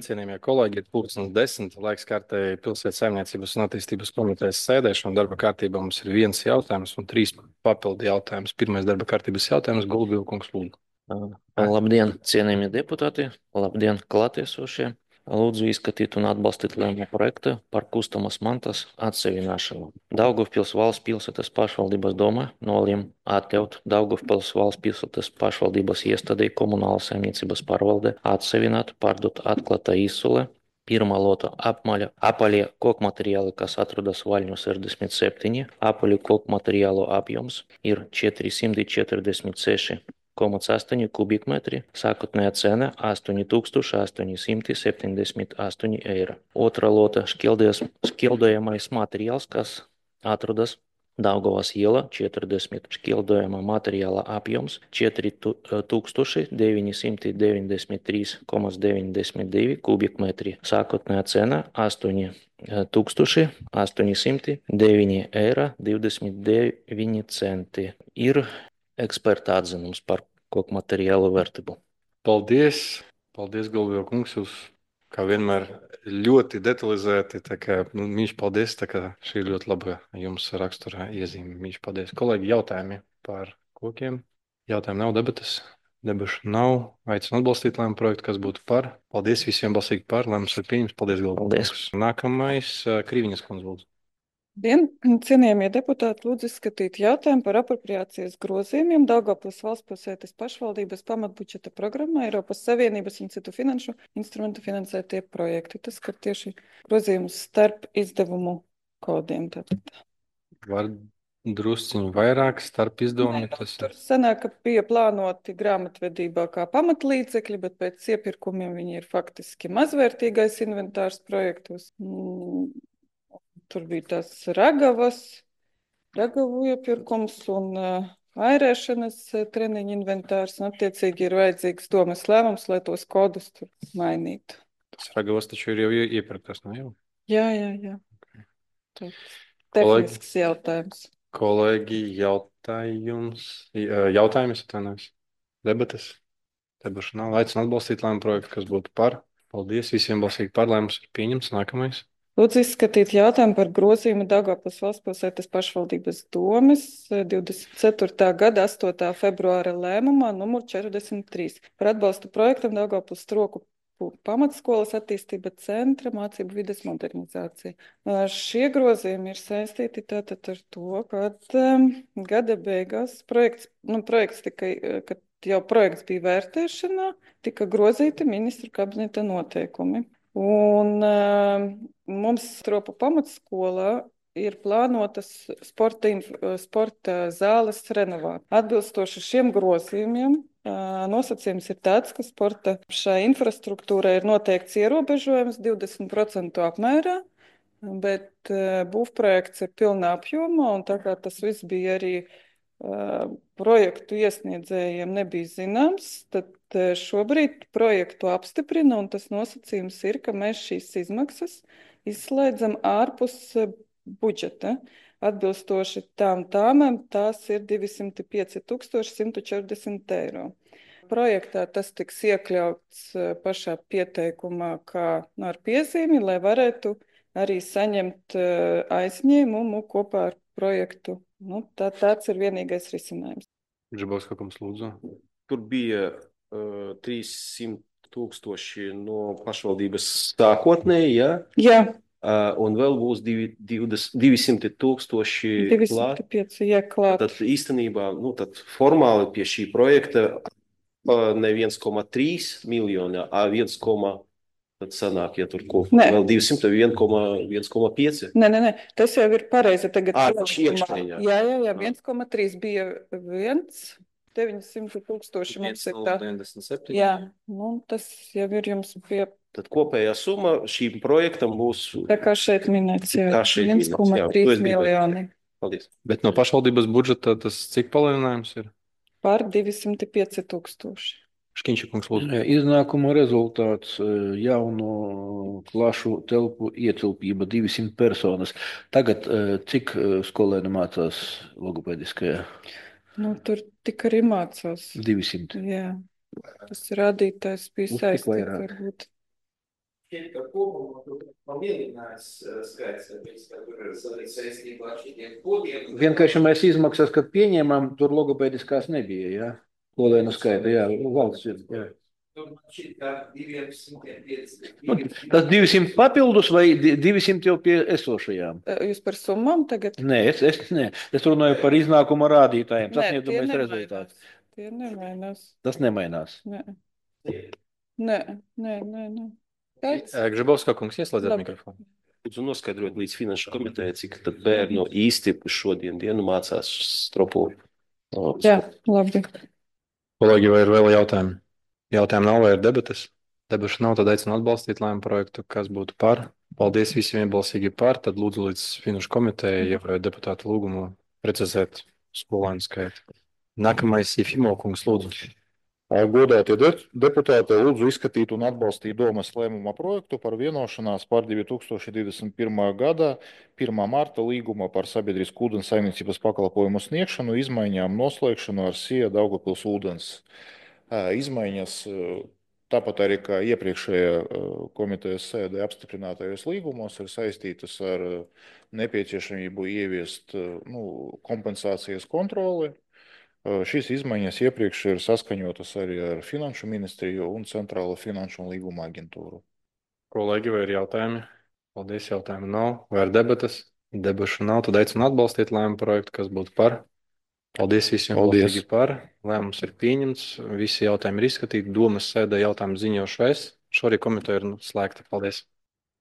Cienījamie kolēģi, ir 10:10. Laiks kārtēji Pilsētas saimniecības un attīstības komitejas sēdēšana. Darba kārtībā mums ir viens jautājums un trīs papildu jautājums. Pirmais darba kārtības jautājums - Gulbīlkungs lūdzu. Labdien, cienījamie deputāti! Labdien, klātiesošie! Lūdzu izskatīt un atbalstīt lēmumu projektu par kustamas mantas atseviināšanu. Daugavpils valsts pilsētas pašvaldības doma nolēma atļaut Daugavpils valsts pilsētas pašvaldības iestādei Komunālas saimniecības pārvalde atsevināt, pārdot atklātā izsole. Pirmā lota apaļie kokmateriāli, kas atrodas Vaļņu 67. Apaļu kokmateriālu apjoms ir 446,8 kubikmetri, sākotnējā cena 8,878 eiro. Otra lota šķildojamais materiāls, kas atrodas Daugavas iela 40, šķildojamā materiāla apjoms 4,993,92 kubikmetri, sākotnējā cena 8,809,29 eiro. Ir eksperta atzinums par koku materiālu vērtību. Paldies! Paldies, Gulbīlkungs! Jūs, kā vienmēr, ļoti detalizēti. Mīļš, paldies! Šī ir ļoti laba jums rakstura iezīme. Mīļš, paldies! Kolēģi, jautājumi par kokiem? Jautājumu nav, debatas. Debašu nav. Aicinu atbalstīt lēmumu projektu, kas būtu par. Paldies visiem balsīgi par. Lēmums ir pieņems. Paldies, Gulbīlkungs! Nākamais - Krīviņas kundze lūdzu. Cienījamie deputāti, lūdzu izskatīt jautājumu par apropriācijas grozījumiem Daugavpils valsts pilsētas pašvaldības pamatbudžeta programmā Eiropas Savienības un citu finanšu instrumentu finansētie projekti. Tas skar tieši grozījumus starp izdevumu kodiem. Tātad. Var drusciņu vairāk starp izdevumiem. Tur sanāk, ka bija plānoti grāmatvedībā kā pamatlīdzekļi, bet pēc iepirkumiem viņi ir faktiski mazvērtīgais inventārs projektos. Tur bija tās ragavu iepirkums un airēšanas treniņu inventārs. Un attiecīgi ir vajadzīgs domas lēmums, lai tos kodus tur mainītu. Tas ragavas taču ir jau iepirktas, no jau? Jā. Okay. Tehnisks jautājums. Kolēģi, jautājums atvainojas. Debates? Debašu nav. Aicinu atbalstīt lēmumu projektu, kas būtu par. Paldies visiem balsīgi par. Lēmums ir pieņemts. Nākamais. Lūdzu izskatīt jautājumu par grozījumu Daugavpils valsts pilsētas pašvaldības domes 24. gada 8. februāra lēmumā numur 43 par atbalstu projektam Daugavpils Stroku pamatskolas attīstība centra mācību vides modernizācija. Šie grozījumi ir saistīti tātad ar to, ka gada beigās projekts tika, kad jau projekts bija vērtēšanā, tika grozīti ministru kabineta noteikumi. Un mums Stropu pamatskolā ir plānotas sporta zāles renovācija. Atbilstoši šiem grozījumiem nosacījums ir tāds, ka sporta šai infrastruktūrai ir noteikts ierobežojums 20% apmērā, bet būvprojekts ir pilnā apjomā, un tā kā tas viss bija arī projektu iesniedzējiem nebija zināms, tad šobrīd projektu apstiprina, un tas nosacījums ir, ka mēs šīs izmaksas izslēdzam ārpus budžeta. Atbilstoši tām tāmēm tās ir 205,140 eiro. Projektā tas tiks iekļauts pašā pieteikumā kā ar piezīmi, lai varētu arī saņemt aizņēmumu kopā ar projektu. Tāds ir vienīgais risinājums. Žabovs, kā jums lūdzu? Tur bija 300,000 no pašvaldības sākotnēji, ja? Jā. Un vēl būs 200,000 205, jā, klāt. Tad īstenībā, tad formāli pie šī projekta ne 1,3 miljoni, a 1, tad sanāk, ja tur vēl 200, 1,5. Nē, tas jau ir pareizi. Tagad iekšēņā. Jā, 1,3 bija 900,000 mums ir tā. 97. Jā, tas jau ir jums pie. Tad kopējā summa šīm projektam būs. Tā kā šeit minēts, jā, 1,3 miljoni. Paldies. Bet no pašvaldības budžeta tas cik palielinājums ir? Par 205,000. Škiņšakungs lūdzu. Iznākuma rezultāts jauno klašu telpu ietilpība 200 personas. Tagad cik skolēni mācās logopēdiskajā? Tur tik arī mācās. 200. Jā. Tas rādītājs bija saistīts varbūt. šķiet, ka kopumā tur palielinājās skaits, tāpēc, ka tur ir saistībā ar šitiem kodiem. Vienkāršamais izmaksas, kad pieņēmām, tur logopēdiskās nebija, jā. Kolēnu skaita, jā, valsts ir, jā. Tur man šķiet, ka 205. Tas 200 papildus vai 200 jau pie esošajām? Jūs par summām tagad? Nē, es runāju par iznākuma rādītājiem. Nē, Sasniedzamais tie rezultāts. Tie nemainās. Tas nemainās. Nē. Kāds? Grzebovska kungs, ieslēdziet Labi. mikrofonu. Lūdzu noskaidrot līdz finanšu komiteja, cik tad bērnu īsti šodien dienu mācās Stropū. Jā, labi. Kolēģi, vai ir vēl jautājumi? Jautājumu nav vai ir debates? Debašu nav, tad aicinu atbalstīt lēmumu projektu, kas būtu par. Paldies visiem vienbalsīgi par, tad lūdzu līdz finanšu komiteja ievērojot deputātu lūgumu precizēt skolēnu skaitu. Nākamais Jefimo kungs, lūdzu. Godātie deputāti, lūdzu izskatīt un atbalstīt domas lēmuma projektu par vienošanās par 2021. gada 1. marta līguma par sabiedrisku ūdens saimniecības pakalpojumu sniegšanu, izmaiņām noslēgšanu ar SIA Daugavpils ūdens izmaiņas. Tāpat arī kā iepriekšējā komitejas sēdē apstiprinātajos līgumos ir saistītas ar nepieciešamību ieviest kompensācijas kontroli. Šīs izmaiņas iepriekš ir saskaņotas arī ar Finanšu ministriju un Centrālo finanšu un līguma aģentūru. Kolēģi, vai ir jautājumi? Paldies, jautājumu nav. Vai ir debates? Debašu nav, tad aicinu atbalstīt lēmumu projektu, kas būtu par. Paldies visiem balsīgi par. Lēmums ir pieņemts. Visi jautājumi ir izskatīti. Domas sēdē jautājumu ziņošu es. Šorīt komiteja ir slēgta. Paldies.